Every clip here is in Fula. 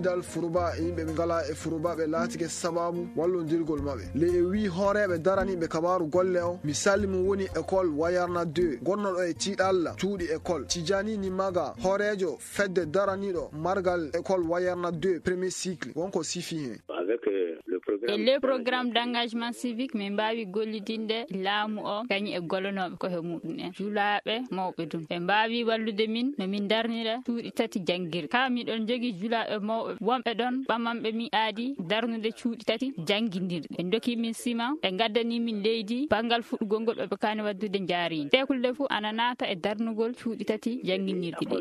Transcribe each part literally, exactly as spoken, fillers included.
Dal Furuba e yimɓe ɓe ngala e Furuba ɓe laatike sababu wallondirgol maɓɓe. Ley e wii hooreeɓe daraniiɓe kabaaru golle o, misali mum woni école Wayarna deux, gonnoɗo e tiiɗalla cuuɗi école. Tijani Nimaga, hooreejo fedde daraniiɗo margal école Wayarna deux premier cycle, wonko sifi heen. E le programme d'engagement civique, min mbaawi gollidinde laamu o kañum e gollonooɓe koye muɗum en, julaaɓe mawɓe ɗum. Ɓe mbaawi wallude min no min darnira cuuɗi tati janngirɗi. Kaa miɗon njogii julaaɓe mawɓe wonɓe ɗon ɓamanɓe mi aadi darnude cuuɗi tati janngindirɗi. Ɓe ndokii min siman, ɓe ngaddanii min leydi banngal fuɗɗugol ngol ɓe kaani waɗdude njaariindi. Tekulde fuu ana naata e darnugol cuuɗi tati jannginirɗi ɗi.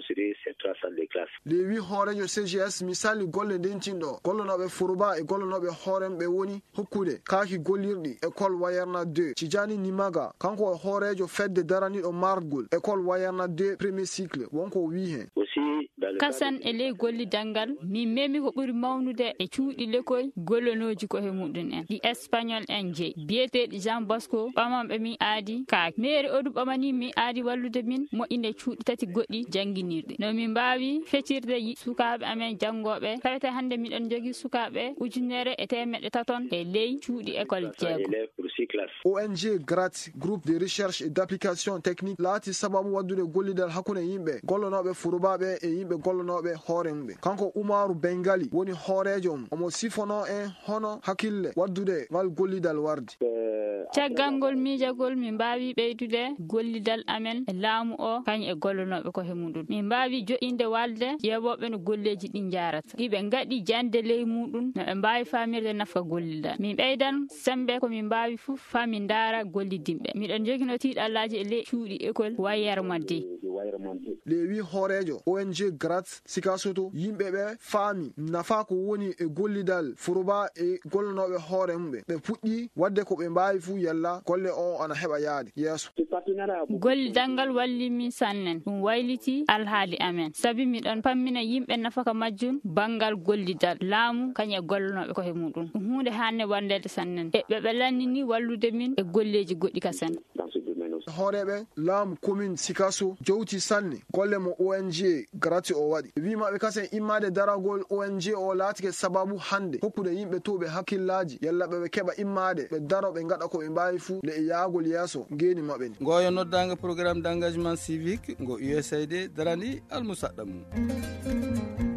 Lewi hooreejo C G S misali golle ndentinɗo gollonooɓe Furuba e gollonooɓe hoorem ɓe woni hokkude kaaki gollirɗi école Wayarna deux. Tijani Nimaga, kanko e hooreejo fedde daraniiɗo margol école Wayarna deux premier cycle, wonko o wii heen. Kasan e ley gollidal ngal, min memi ko ɓuri mawnude e cuuɗi lekol gollonooji koye muɗum en, ɗi Espagnol en jeyi, biyeteeɗi Jean Bosco, ɓamanɓe min aadi kaaki. Meeri Odu ɓamanii min aadi wallude min moƴƴinde cuuɗi tati goɗɗi jannginirɗi. No min mbaawi feccirde yi-, sukaaɓe amen janngooɓe, tawete hannde miɗen njogii sukaaɓe ujunere e teemeɗɗe taton e ley cuuɗi école jeego. O N G Grat, Groupe de Recherche et d'Application Technique, laati sababu waɗdude gollidal hakkunde yimɓe gollonooɓe Furuba ɓe e yimɓe gollonooɓe hoore mum ɓe. Kanko Umaru Bengali woni hooreejo mum. Omo sifonoo en hono hakkille waɗdude ngal gollidal wardi. Caggal ngol miijagol, min mbaawi ɓeydude gollidal amen e laamu o, kañum e gollonooɓe koye muɗum. Min mbaawi joɗɗinde walde ƴeewooɓe no golleeji ɗi njaarata. Iɓe ngaɗi jannde ley muɗum, no ɓe mbaawi faamirde nafa gollidal. Min ɓeydan semmbe ko min mbaawi fof faa min ndaara gollidinɓe. Miɗen njogino tiiɗallaaji e ley cuuɗi école Wayarma deux. Lewi hooreejo O N G Grat Sikasoto, yimɓe ɓe faami nafa ko woni e gollidal Furuba e gollonooɓe hoore mum ɓe. Ɓe puɗɗi waɗde ko ɓe mbaawi fuu yalla golle o ana heɓa yaade yeeso. Gollidal ngal walli min sannen. Ɗum wayliti alhaali amen. Sabi miɗon pammina yimɓe nafaka majjum banngal gollidal laamu kañum e gollonooɓe koye muɗum. Ɗum huunde haanne wallede sannen. E ɓe ɓe lannini wallude min e golleeji goɗɗi kasen. Hooreeɓe laamu commune Sikaso jowti sanne golle mo O N G Grati o waɗi. Wii maɓɓe kasen immaade daragol O N G o laatike sababu hannde hokkude yimɓe towɓe hakkillaaji yalla ɓe ɓe keɓa immaade ɓe daro ɓe ngaɗa ko ɓe mbaawi fuu le e yaagol yeeso ngeeni maɓɓe ni. Ngoyo noddaango programme d'engagement civique ngo U S A I D darani almusaɗɗa mum.